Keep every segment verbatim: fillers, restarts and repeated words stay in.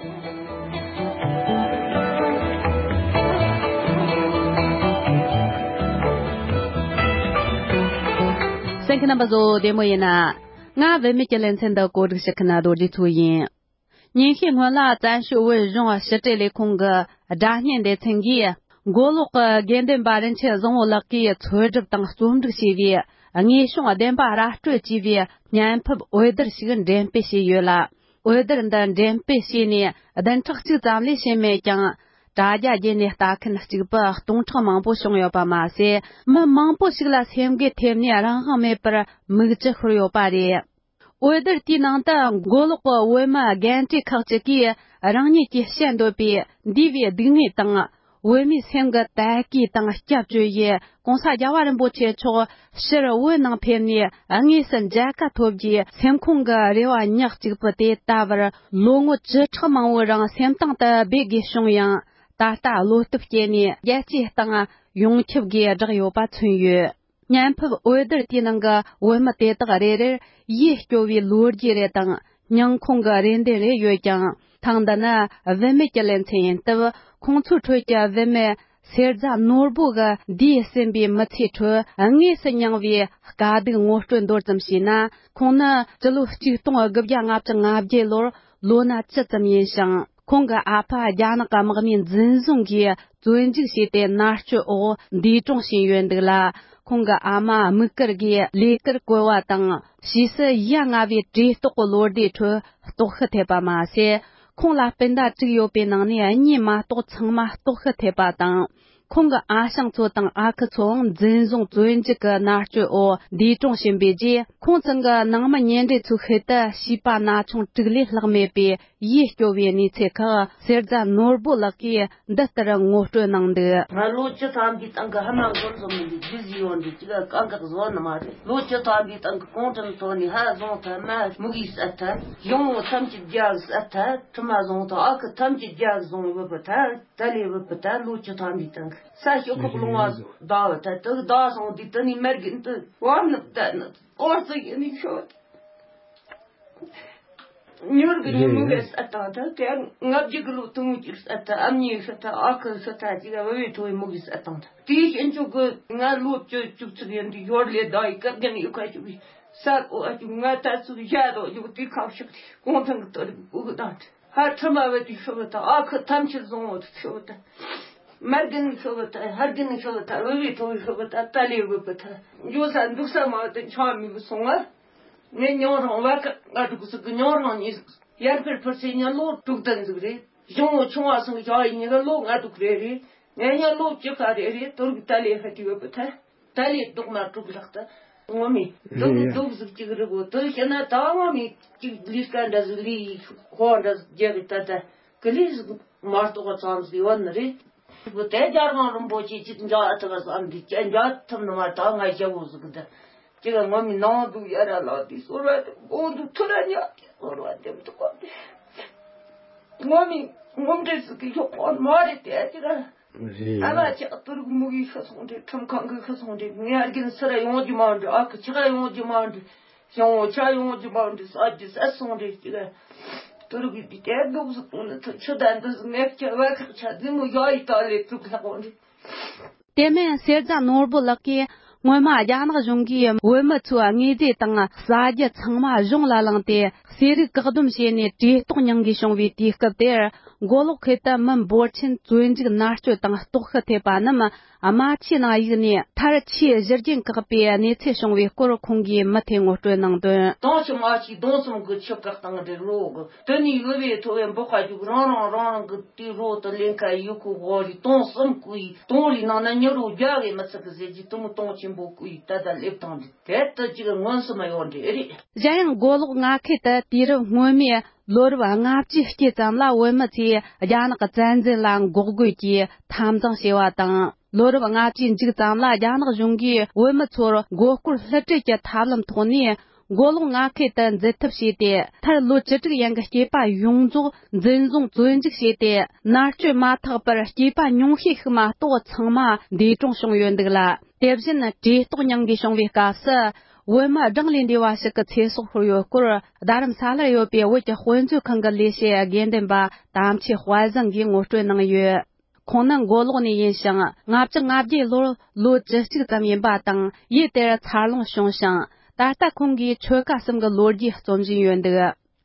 གསན་མཁན་རྣམ་པ་ཚོ་བདེ་མོ་ཡིན་ན། ང་བུད་མེད་ཀྱི་ལེ་ཚན་འདི་གོ་སྒྲིག་བྱེད་མཁན་རྡོ་རྗེ་མཚོ་ཡིན། ཉིན་ཤས་སྔོན་ལ་བཙན་བྱོལ་བོད་གཞུང་ཕྱི་དྲིལ་ལས་ཁུངས་ཀྱི་སྒྲ་བརྙན་སྡེ་ཚན་གྱིས་མགོ་ལོག་གི་དགེ་འདུན་པ་རིན་ཆེན་བཟང་པོ་ལགས་ཀྱིས་འཚོལ་སྒྲུབ་དང་རྩོམ་སྒྲིག་བྱས་པའི་དངོས་བྱུང་བདེན་པ་ར་སྤྲོད་ཅེས་པའི་བརྙན་ཕབ་འོད་སྡེར་ཞིག་འགྲེམས་སྤེལ་བྱས་ཡོད་ལ། འོད་སྡེར་འདི་འགྲེམས་སྤེལ་བྱས་ནས་བདུན་ཕྲག་གཅིག་ཙམ་ལས་ཕྱིན་མེད་ཀྱང་། དྲ་རྒྱ་བརྒྱུད་ནས་ལྟ་མཁན་གཅིག་པུ་སྟོང་ཕྲག་མང་པོ་བྱུང་ཡོད་པ་མ་ཟད། མི་མང་པོ་ཞིག་ལ་སེམས་འགུལ་ཐེབས་ནས་རང་དབང་མེད་པར་མིག་ཆུ་ཤོར་ཡོད་པ་རེད། འོད་སྡེར་དེའི་ནང་དུ་མགོ་ལོག་གི་བོད་མི་རྒན་གྲས་ཁག་ཅིག་གིས་རང་ཉིད་ཀྱིས་བཤད་འདོད་པའི་འདས་པའི་སྡུག་བསྔལ་དང་། བོད་མིའི་སེམས་ཀྱི་དད་གུས་དང་སྐྱབས་བཅོལ་ཡུལ་༸གོང་ས་༸རྒྱལ་བ་རིན་པོ་ཆེ་མཆོག་ཕྱིར་བོད་ནང་ཕེབས་ནས་དངོས་སུ་མཇལ་ཁ་ཐོབ་རྒྱུའི་སེམས་ཁོང་གི་རེ་བ་ཉག་གཅིག་པུ་དེ་ལྟ་བུར་ལོ་ངོ་བཅུ་ཕྲག་མང་པོའི་རིང་སེམས་གཏིང་དུ་སྦས་དགོས་བྱུང་ཡང་། ད་ལྟ་བློ་སྟོབས་སྐྱེས་ནས་རྒྱལ་སྤྱིའི་སྟེང་ཡོངས་ཁྱབ་སྒོས་བསྒྲགས་ཡོད་པ་མཚོན་ཡོད། བརྙན་ཕབ་འོད་སྡེར་དེའི་ནང་གི་བོད་མི་དེ་དག་རེ་རེར་ཡིད་སྐྱོ་བའི་ལོ་རྒྱུས་རེ་དང་། སྙིང་ཁོང་གི་རེ་འདུན་རེ་ཡོད་ཀྱང་། ཐེངས་འདི་ནི་བུད་མེད་ཀྱི་ལེ་ཚན་ཡིན་སྟབས། ཁོང་ཚོའི་ཁྲོད་ཀྱི་བུད་མེད་གསེར་རྫ་ནོར་བུ་གི་འདས་ཟིན་པའི་མི་ཚེའི་ཁྲོད་དངོས་སུ་མྱངས་པའི་དཀའ་སྡུག་ངོ་སྤྲོད་མདོར་ཙམ་བྱས་ན། ཁོང་ནི་སྤྱི་ལོ་ཆིག་སྟོང་དགུ་བརྒྱ་ལྔ་བཅུ་ང་བརྒྱད་ལོར་ལོ་ན་བཅུ་ཙམ་ཡིན་ཞིང་། ཁོང་གི་ཨ་ཕ་རྒྱ་ནག་གི་དམག་མིས་འཛིན་བཟུང་གིས་བཙོན་འཇུག་བྱས་ཏེ་མནར་གཅོད་འོག་འདས་གྲོངས་ཕྱིན་ཡོད་འདུག་ལ། ཁོང་གི་ཨ་མ་དམིགས་བཀར་གྱིས་ལས་ཀར་བཀོལ་བ་དང་། ཕྱིས་སུ་ཡ་ང་བའི་བཀྲེས་ལྟོགས་ཀྱི་ལོ་ཟླའི་ཁྲོད་ལྟོགས་ཤི་ཐེབས་པ་མ་ཟད། ཁོང་ལ་སྤུན་ཟླ་དྲུག་ཡོད་པའི་ནང་ནས་གཉིས་མ་གཏོགས་ཚང་མ་ལྟོགས་ཤི་ཐེབས་པ་དང་། ཁོང་གི་ཨ་ཞང་ཚོ་དང་ཨ་ཁུ་ཚོའང་འཛིན་བཟུང་བཙོན་འཇུག་གི་མནར་གཅོད་འོག་འདས་གྲོངས་ཕྱིན་པའི་རྗེས། ཁོང་ཚང་གི་ནང་མི་ཉེ་འབྲེལ་ཚོའི་ཤུལ་དུ་བྱིས་པ་ན་ཆུང་དྲུག་ལས་ལྷག་མེད་པའི་ཡིད་སྐྱོ་བའི་གནས་ཚུལ་ཁག་གསེར་རྫ་ནོར་བུ་ལགས་ཀྱིས་འདི་ལྟར་ངོ་སྤྲོད་གནང་འདུག། ང་ལོ་བཅུ་ཐམ་པའི་སྟེང་གི་ཕ་མ་འགོ་འཛོམས་ནས་རྒྱུ་ཟིག་ཡོང་འདུག་ཅིག་ག་གང་ག་བཟོ་ནི་མ་རེད། ལོ་བཅུ་ཐམ་པའི་སྟེང་གི་གུང་ཁྲན་ཚོ་ནས་ཕ་བཟུང་ཐལ། མ་མུ་གེ་བསད་ཐལ། གཞུང་བོ་ཐམས་ཅད་རྒྱ་བསད་ཐལ། ཁྲི་མ་བཟུང་ཐལ། ཨ་ཁུ་ཐམས་ཅད་རྒྱ་བཟུང་བུད་པ་ཐལ། ད་ལས་བུད་པ་ཐལ། ལོ་བཅུ་ཐམ་པའི་སྟེང་གི་ས་ཤོག་ཁོག་ལུང་བ་བདའ་བ་ཐལ། དུ་བདའ་སོང་དུས་དུ་ནས་མར་གི་འདི་བར་ནི་བསྡད་ནི་ཨོ་ཙི་ཡིན་ནི་ཤོད། ཉོར་གི་ཉི་མོ་གི་ས་དང་ད་དེ་ང་བརྒྱུད་གི་ལོ་དུང་གི་ས་ད་ཨ་མྱེས་ས་ད་ཨ་ཁུ་ས་ད་ཅི་ག་བ་བའི་ཐོ་བའི་མོ་གི་ས་དང་ད་དེའི་ཤན་ཆོག་གི་ང་ལོ་བཅུ་བཅུ་གཅིག་ཡིན་དུས་ཡོར་ལས་ད་ཡི་སྐབས་རྒན་ཡོད་ཁ་ཞུ་བའི་ས་གོ་ཨ་ཅུ་ང་ད་ཚུགས་བཞག་དོ་ཡོད་དུས་ཁ་ཤག་གོང་ཐང་གི་ཏོ་རི་བུ་གི་དང་ཧ་ཁྲི་མ་བ་དུས་ཤོ་བ་ད་ཨ་ཁུ་ཐམས་ཅད་བཟང་བོ་དུ་ཤོ་བ་ད་མར་རྒན་ཤོ་བ་ད་ཧར་རྒན་ཤོ་བ་ད་བ་བའི་ཐོ་བའི་ཤོ་བ་ད་ད་ལས་བུ་བུ་ད་འགྱོ་ས་འདུག་ས་མ་བ་ད་ཆ་མི་བུ་སོང་ང་། ངས་ཉོ་རང་བ་ཀ་ང་འདུག་ཟིག་གི་ཉོ་རང་ཉིས་ཡར་འཕེར་འཕུར་སའི་ཉིན་ལོ་དྲུག་ལྡན་ཟིག་རེད། གཞུང་བོ་ཆུང་བ་སང་བྱ་ཡི་ཉི་ག་ལོ་ང་འདུག་རེ་རེད། ངས་ཉིན་ལོ་བཅུ་ཁ་རེ་རེད། དུར་གི་ཏ་ལའི་ཧ་ཏི་ཡོད་པ་ཐལ། ཏ་ལའི་རྡོག་མ་དྲུག་ལྷག་ཏུ་ངོ་མི་རྡོག་རྡོག་ཟིག་ཅིག་རེད་གོ། དུ་ཤེ་ན་ད་ངོ་མི་ཅིག་ལིས་ཀ་འདྲ་ཟིག་ལི་ཧོ་འདྲ་ཟིག་རྒྱག་གི་ད་ད་གི་ལི་ཟིག་མ་གཏོགས་ཙམ་ཟིག་ཡོད་ནི་རེད། བུ་དེ་རྒྱལ་དབང་རིན་པོ་ཆེ་ཅིག་འཇག་ཨ་ཐུབ་པ་བསམ་འདི་ཅི་འཇག་ཐུབ་ནི་མ་ད་ང་ཞེ་བོ་ཟིག་འདི་ཅི་ག་ངོ་མི་ནང་དུ་ཡ་ར་ལ་དེ་ཟོར་བ་དེ་དགོང་དུ་ཐུ་ར་ཉག་དེ་ཟོར་བ་དེ་མི་ཐུབ་པ་དེ་ངོ་མི་ངོམ་འདྲེ་ཟིག་གི་ཤོག་ཁོག་མ་རེད་དེ་ཅི་ག་རེད། ཨ་མ་ཅག་ཏུ་རུག་མུ་གི་ཤི་སོང་འདྲེ་ཁྲིམས་ཁང་གི་ཤི་སོང་འདྲེ་ངའི་ཨ་རྒན་སི་ར་ཡོང་རྒྱུ་མ་འདྲེ་ཨ་ཁུ་ཆི་ག་ཡོང་རྒྱུ་མ་འདྲེ། ཞང་བོ་ཆ་ཡོང་རྒྱུ་མ་འདི་ས་རྒྱུ་ས་སོང་རེད་ཅིག་དུ་རུ་གི་འདི་དེ་འདུག་ཟིག་ནི་ཐུ་ཆུ་ད་འདི་ཟིག་ངས་ཁྱེད་བ་ཁག་ཆ་འདི་མོ་ཡ་ཡི་ད་ལས་དུག་ལྷག་འོང་རེད། དེ་མིན་གསེར་རྫ་ནོར་བུ་ལགས་ཀྱིས་སྔོན་མ་རྒྱ་ནག་གཞུང་གིས་བོད་མི་ཚོའི་དངོས་རྫས་དང་ཟ་རྒྱུ་ཚང་མ་གཞུང་ལ་བླངས་ཏེ་ཟས་རིགས་བཀག་སྡོམ་བྱས་ནས་བཀྲེས་ལྟོགས་མྱང་དགོས་བྱུང་བའི་དུས་སྐབས་དེར། མགོ་ལོག་ཁུལ་དུ་མི་འབོར་ཆེན་བཙོན་འཇུག་མནར་གཅོད་དང་ལྟོགས་ཤི་ཐེབས་པ་རྣམས། རྨ་ཆུའི་ནང་གཡུགས་ནས་མཐར་ཆུའི་བཞུར་རྒྱུན་བཀག་པའི་གནས་ཚུལ་བྱུང་བའི་སྐོར་ཁོང་གིས་མུ་མཐུད་ངོ་སྤྲོད་གནང་དོན། དོང་ཆུ་མ་ཆུའི་དོང་གསུམ་གི་ཆུ་བཀག་བཏང་རེད་རོ་གི། དེ་ནས་ཡུ་བའི་ཐོ་བའི་འབོག་ཁ་རྒྱུག་རང་རང་རང་རང་གི་དུས་རོ་དུ་ལེན་ཁ་ཡུ་ཁུ་ཧོ་རི་དོང་གསུམ་ཀུའི་དོང་རི་ནང་ན་ཉི་རོ་རྒྱ་གི་མི་ཚིག་གི་ཟེར་གྱི་དུ་མོ་དོང་ཆེན་པོ་ཀུའི་ད་ད་སླེབས་བཏང་རེད། དེ་ལྟ་ཅིག་མངོན་སུམ་ཡོད་འདྲ་རེད། གཞན་ཡང་མགོ་ལོག་མངའ་ཁུལ་དུ་དུས་རབས་སྔོན་མའི་ལོ་རབས་ལྔ་བཅུའི་དཀྱིལ་ཙམ་ལ་བོད་མི་ཚོས་རྒྱ་ནག་གི་བཙན་འཛུལ་ལ་འགོག་རྒོལ་གྱིས་འཐབ་འཛིང་བྱས་པ་དང་། ལོ་རབས་ལྔ་བཅུའི་མཇུག་ཙམ་ལ་རྒྱ་ནག་གཞུང་གིས་བོད་མི་ཚོར་མགོ་སྐོར་བསླུ་བྲིད་ཀྱི་ཐབས་ལམ་ཐོག་ནས་མགོ་ལོག་མངའ་ཁུལ་དུ་འཛུལ་ཐབས་བྱས་ཏེ། མཐར་ལོ་བཅུ་དྲུག་ཡན་གྱི་སྐྱེས་པ་ཡོངས་རྫོགས་འཛིན་བཟུང་བཙོན་འཇུག་བྱས་ཏེ། མནར་གཅོད་མ་ཐག་པར་སྐྱེས་པ་ཉུང་ཤས་ཤིག་མ་གཏོགས་ཚང་མ་འདས་གྲོངས་བྱུང་ཡོད་འདུག་ལ། དེ་བཞིན་བཀྲེས་ལྟོགས་མྱང་དགོས་བྱུང་བའི་སྐབས་སུ། བོད་མི་གྲངས་ལས་འདས་པ་ཞིག་གི་ཚེ་སྲོག་ཤོར་ཡོད་སྐོར། རྡ་རམ་ས་ལར་ཡོད་པའི་བོད་ཀྱི་དཔེ་མཛོད་ཁང་གི་ལས་བྱེད་དགེ་འདུན་པ་དམ་ཆོས་དཔལ་བཟང་གིས་ངོ་སྤྲོད་གནང་ཡོད། ཁོང་ནི་མགོ་ལོག་ནས་ཡིན་ཞིང་། ལྔ་བཅུ་ང་བརྒྱད་ལོར་ལོ་བཅུ་གཅིག་ཙམ་ཡིན་པ་དང་། ཡུལ་དེར་འཚར་ལོངས་བྱུང་ཞིང་། ད་ལྟ་ཁོང་གིས་ཆོལ་ཁ་གསུམ་གྱི་ལོ་རྒྱུས་རྩོམ་བཞིན་ཡོད་འདུག།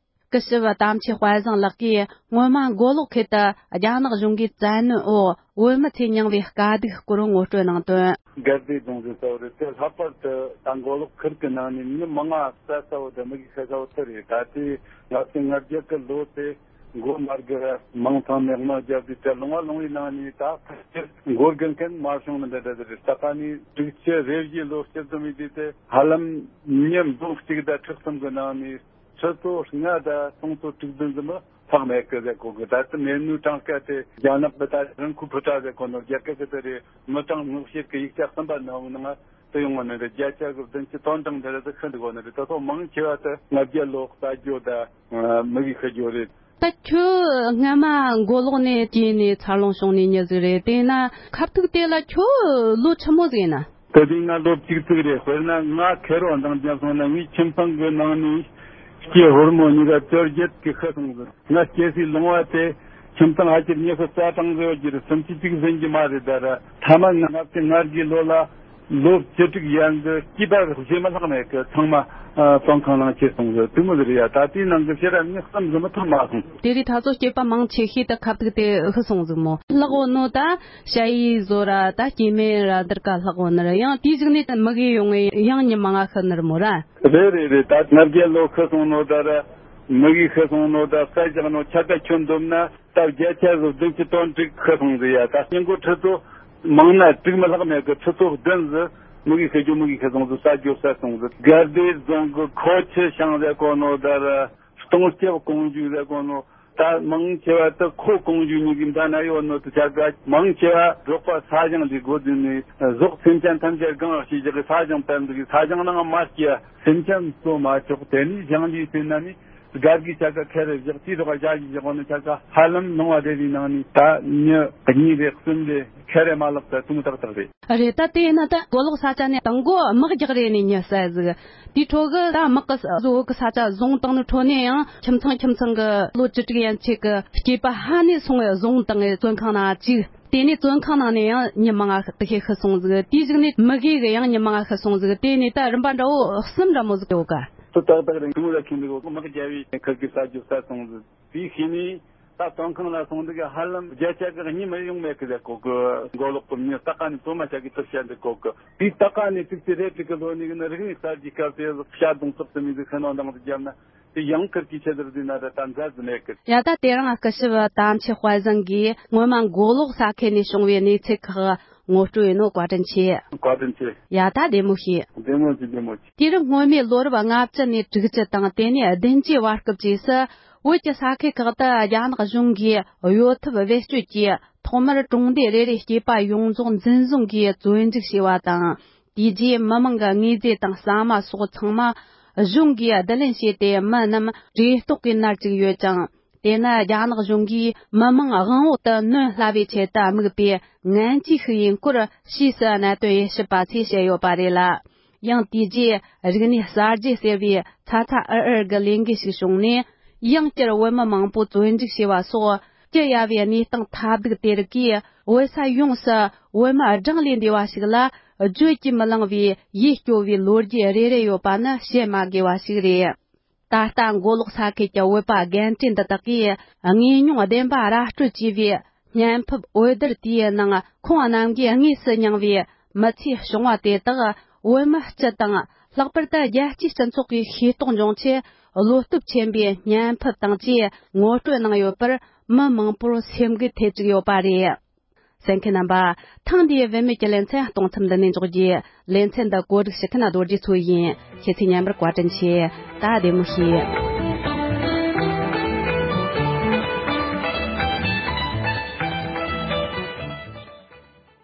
སྐུ་ཞབས་དམ་ཆོས་དཔལ་བཟང་ལགས་ཀྱིས་སྔོན་མ་མགོ་ལོག་ཁུལ་དུ་རྒྱ་ནག་གཞུང་གིས་བཙན་གནོན་འོག་བོད་མི་ཚོས་མྱངས་པའི་དཀའ་སྡུག་སྐོར་ངོ་སྤྲོད་གནང་དོན། དགའ་བདེ་རྫོང་ཟེར་ས་བོ་རེད། དེ་ལྷག་པར་དུ་ད་མགོ་ལོག་ཁུལ་གྱི་ནང་ནས་མི་མང་ང་བསད་ས་བོ་དེ་མི་གིས་བཤད་ས་བོ་དེ་རེད། ད་ལྟའི་ལྔ་བཅུ་ང་བརྒྱད་ཀྱི་ལོ་དེ་མགོ་མ་སྒུར་ར་མིང་ཐང་ནས་དམག་རྒྱབ་དུས་དེ་ལུང་བ་ལུང་བའི་ནང་ནས་ད་ཕལ་ཆེར་མགོ་སྒུར་མཁན་མ་བྱུང་ནི་འདྲ་འདྲ་རེད། ད་ལྟ་ནས་དྲུག་ཅུ་རེ་བཞིའི་ལོ་སྤྱི་ཟླ་མི་དུས་དེ་ཧ་ལམ་མི་འབུམ་གཅིག་དང་ཁྲི་གསུམ་གྱི་ནང་ནས། ཁྲི་ཚོ་ལྔ་དང་སུམ་ཅུ་སོ་དྲུག་བདུན་ཙམ་ལྷག་མེད་ཀི་ཟེར་གོ་གི། ད་ལྟ་མེད་ནུས་གྲངས་ཀ་དེ་རྒྱ་ནག་གི་ད་རང་ཁུལ་ཕུ་ཏྲ་ཟེར་གོ་ནོ་རྒྱ་སྐད་ཀྱི་དེ་རེད། མི་གྲངས་ངོ་ཤེས་ཀྱི་ཡིག་ཆ་གསུམ་པ་ནང་ནང་དུ་ཡོང་བ་ནི་རེད། བརྒྱ་ཆ་གི་བདུན་ཅུ་དོན་གྲངས་འདི་རེད། དེ་ཤི་འདུག་གོ་ནི་རེད། ད་ཐོག་མང་ཆེ་བ་དེ་ལྔ་བརྒྱ་ལོ་ས་རྒྱུ་དང་མི་གི་ཤི་རྒྱུ་རེད། ད་ཁྱོད་སྔ་མ་མགོ་ལོག་ནས་སྐྱེས་ནས་འཚར་ལོངས་བྱུང་ནས་མྱི་ཟིག་རེད། དེས་ན་ཁ་ཐུག་དེ་ལ་ཁྱོད་ལོ་ཆི་མོ་ཟིག་ཡིན་ན། དེ་དུས་ང་ལོ་བཅུ་གཅིག་རེད། དཔེར་ན་ང་ཁེར་རོ་འདང་རྒྱབ་སོང་ན་ངའི་ཁྱིམ་ཚང་གི་ནང་ནས་སྐྱེས་ཕོ་མོ་གཉིས་ཀ་བཅོ་བརྒྱད་ཀྱི་ཤི་སོང་ཟིག། ང་སྐྱེས་སའི་ལུང་བ་དེ་ཁྱིམ་ཚང་ཨ་ཅེར་ཉི་ཤུ་རྩ་གྲངས་ཟེར་བ་གྱི་རེད། སུམ་ཅུ་གཅིག་ཟིན་གྱི་མ་རེད། ད་ར་ཐ་མ་ང་ལྔ་བཅུ་ང་དགུའི་ལོ་ལ་ལོ་བཅུ་དྲུག་ཡན་གྱི་སྐྱེས་པ་རྗེས་མ་ལྷག་མེད་ཀི་ཚང་མ་བཙོན་ཁང་ནང་ཁྱེར་སོང་ཟིག། དེ་མོ་ཟིག་རེད་ཡ། ད་དེའི་ནང་གི་ཕྱིར་ར་མྱི་གསུམ་ཟིག་མི་ཐོན་མ་སོང་། དེ་རིང་ད་ཚོ་སྐྱེས་པ་མང་ཆེ་ཤོས་དེ་ཁ་ཐུག་དེ་ཤི་སོང་ཟིག་མོ། ལྷག་འོ་ནོ་ད་ཞ་ཡི་བཟོ་ར་ད་སྐྱེས་སྨན་ར་འདིར་ཀ་ལྷག་འོ་ནི་ར། ཡང་དེའི་གཞུག་ནས་མི་གི་ཡོང་ངེ་ཡང་ཉི་མ་ང་ཤི་ནི་ར་མོ་ར། རེད་རེད་རེད། ད་ལྔ་བརྒྱ་ལོ་ཤི་སོང་ནོ་ད་ར་མི་གི་ཤི་སོང་ནོ་ད་ས་བཞག་ནོ་ཆ་ད་ཁྱོན་བསྡོམས་ན་ད་བརྒྱ་ཆ་བཟོ་བདུན་ཅུ་དོན་དྲུག་ཤི་སོང་ཟིག་ཡ། ད་སྙིང་གོ་ཁྲི་ཚོ་མང་ན་དྲུག་མི་ལྷག་མེད་གི། ཁྲི་ཚོ་བདུན་ཟིག་མི་གི་ཤི་རྒྱུ་མི་གི་ཤི་སོང་ཟིག། ས་རྒྱུ་ས་སོང་ཟིག། དགའ་བདེ་རྫོང་གི་ཁོ་ཆི་ཤང་ཟེར་གོ་ནོ་ད་ར་སྟོང་སྐྱབས་ཀོང་ཇུ་ཟེར་གོ་ནོ། ད་མང་ཆེ་བ་དུ་ཁོ་ཀོང་ཇུ་གཉིས་ཀྱི་མདའ་ན་ཡོད་ནོ་དུ་ཆ་ག་མང་ཆེ་བ་འབྲོག་པ་ས་ཞིང་འདི་སྒོ་བསྡུས་ནས་ཟོག་སེམས་ཅན་ཐམས་ཅད་གང་ཞིག་བཞག་གི། ས་ཞིང་བཏབ་འདུག་གི། ས་ཞིང་ནང་མ་སྐྱེ་སེམས་ཅན་གཙོ་མ་ཆོག། དེ་ནས་ཞིང་ལས་ཟིན་ན་ནི་སྒར་གྱི་ཆ་ག་ཁེ་རེ་བཞག་དེའི་རོགས་བཞག་གི་བཞག་ནི་ཆ་ག་ཧ་ལམ་ལུང་བ་དེ་རིགས་ནང་ནས་ད་མྱི་གཉིས་རེ་གསུམ་རེ་ཁེ་རེ་མ་ལག་ད་དུང་ཏག་ཏག་རེད། རེད། ད་དེ་ཡིན་ན་ད་མགོ་ལོག་ས་ཆ་ནས་དང་མགོ་དམག་རྒྱག་རེ་ནས་མྱི་བསད་ཟིག། དེའི་ཁྲོད་གི་ད་དམག་གི་བཟོ་གི་ས་ཆ་བཟུང་བཏང་ནི་ཁྲོད་ནས་ཡང་ཁྱིམ་ཚང་ཁྱིམ་ཚང་གི་ལོ་བཅུ་དྲུག་ཡན་ཆད་གི་སྐྱེས་པ་ཧ་ནས་སོང་བའི་བཟུང་བཏང་བའི་བཙོན་ཁང་ནང་བཅུག། དེ་ནས་བཙོན་ཁང་ནང་ནས་ཡང་མྱི་མང་ང་དེ་ཤེས་ཤི་སོང་ཟིག། དེའི་གཞུག་ནས་མི་གེ་གི་ཡང་མྱི་མང་ང་ཤི་སོང་ཟིག། དེ་ནས་ད་རིམ་པ་འདྲ་བོ་གསུམ་འདྲ་མོ་ཟིག་ཡོད་ག། དུ་ཏག་ཏག་རིང་ཐུང་ལ་ཁྱིམ་ལུག་དམག་རྒྱབ་བའི་ཁུར་གི་ས་རྒྱུ་ས་སོང་ཟིག། དེའི་ཤེས་ནས། ད་བཙོན་ཁང་ལ་སོང་འདུག་གི། ཧ་ལམ་བརྒྱ་ཆ་གི་གཉིས་མ་ཡོང་མེད་གི་ཟེར་གོ་གི། མགོ་ལོག་གི་མྱི་ལྟ་ག་ནས་བཙོན་མ་བྱ་གི་ཐུབ་བྱ་འདུག་གོ་གི། དེའི་ལྟ་ག་ནས་ཙིག་ཙི་རེ་ཙིག་གི་ལོ་ནས་གི་ནི་རིག་གནས་གསར་བརྗེའི་སྐབས་དེ་བྱ་རྡུང་སོགས་དུ་མི་འདུག་ཤི་ནོ་འདང་དུ་བརྒྱབ་ན་དེ་ཡང་ཁུར་གི་ཆེད་དུ་བསྡུས་ན་ར་ད་མཛའ་ཟི་མེད་གི། ཡ་ད་དེ་རིང་སྐུ་ཞབས་དམ་ཆོས་དཔལ་བཟང་གིས་སྔོན་མ་མགོ་ལོག་ས་ཁུལ་ནས་བྱུང་བའི་གནས་ཚུལ་ཁག་ངོ་སྤྲོད་ཡིན་ནོ། བཀའ་དྲིན་ཆེ། བཀའ་དྲིན་ཆེ། ཡ་ད་བདེ་མོ་བྱོས། བདེ་མོ་བྱོས། བདེ་མོ་བྱོས། དུས་རབས་སྔོན་མའི་ལོ་རབས་ལྔ་བཅུ་ནས་དྲུག་ཅུ་དང་དེ་ནས་བདུན་ཅུའི་བར་སྐབས་བཅས་སུ། བོད་ཀྱི་ས་ཁུལ་ཁག་ཏུ་རྒྱ་ནག་གཞུང་གིས་གཡོ་ཐབས་བེད་སྤྱོད་ཀྱིས་ཐོག་མར་གྲོང་སྡེ་རེ་རེའི་སྐྱེས་པ་ཡོངས་རྫོགས་འཛིན་བཟུང་གིས་བཙོན་འཇུག་བྱས་པ་དང་། དེ་རྗེས་མི་མང་གི་དངོས་རྫས་དང་ཟ་མ་སོགས་ཚང་མ་གཞུང་གིས་བསྡུ་ལེན་བྱས་ཏེ་མི་རྣམས་བཀྲེས་ལྟོགས་ཀྱིས་མནར་བཅུག་ཡོད་ཅིང་། དེ་ནི་རྒྱ་ནག་གཞུང་གིས་མི་མང་དབང་འོག་ཏུ་གནོན་སླ་བའི་ཆེད་དུ་དམིགས་པའི་ངན་ཇུས་ཤིག་ཡིན་སྐོར་ཕྱིས་སུ་གནད་དོན་དབྱེ་ཞིབ་པ་ཚོས་བཤད་ཡོད་པ་རེད་ལ། ཡང་དེ་རྗེས་རིག་གནས་གསར་བརྗེ་ཟེར་བའི་ཚ་ཚ་འུར་འུར་གྱི་ལས་འགུལ་ཞིག་བྱུང་ནས། ཡང་བསྐྱར་བོད་མི་མང་པོ་བཙོན་འཇུག་བྱས་པ་སོགས་སྐྱི་གཡའ་བའི་གནས་སྟངས་ཐབས་སྡུག་དེ་རིགས་ཀྱིས་བོད་ས་ཡོངས་སུ་བོད་མི་གྲངས་ལས་འདས་པ་ཞིག་ལ་བརྗོད་ཀྱིས་མི་ལང་བའི་ཡིད་སྐྱོ་བའི་ལོ་རྒྱུས་རེ་རེ་ཡོད་པ་ནི་བཤད་མ་དགོས་པ་ཞིག་རེད། ད་ལྟ་མགོ་ལོག་ས་ཁུལ་གྱི་བོད་པ་རྒན་གྲས་འདི་དག་གིས་དངོས་མྱོང་བདེན་པ་ར་སྤྲོད་བྱས་པའི་བརྙན་ཕབ་འོད་སྡེར་དེའི་ནང་ཁོང་རྣམས་ཀྱིས་དངོས་སུ་མྱངས་པའི་མི་ཚེའི་བྱུང་བ་དེ་དག་བོད་མི་སྤྱི་དང་ལྷག་པར་དུ་རྒྱལ་སྤྱིའི་སྤྱི་ཚོགས་ཀྱིས་ཤེས་རྟོགས་འབྱུང་ཆེད་བློ་སྟོབས་ཆེན་པོས་བརྙན་ཕབ་དང་བཅས་ངོ་སྤྲོད་གནང་ཡོད་པར་མི་མང་པོར་སེམས་འགུལ་ཐེབས་བཅུག་ཡོད་པ་རེད། གསན་མཁན་རྣམ་པ། ཐེངས་འདིའི་བུད་མེད་ཀྱི་ལེ་ཚན་གཏོང་མཚམས་འདི་ནས་འཇོག་རྒྱུ། ལེ་ཚན་འདི་གོ་སྒྲིག་ཞུ་མཁན་རྡོ་རྗེ་མཚོ་ཡིན། ཁྱེད་ཚོས་ཉན་པར་བཀའ་དྲིན་ཆེ། ད་བདེ་མོ་བྱོས།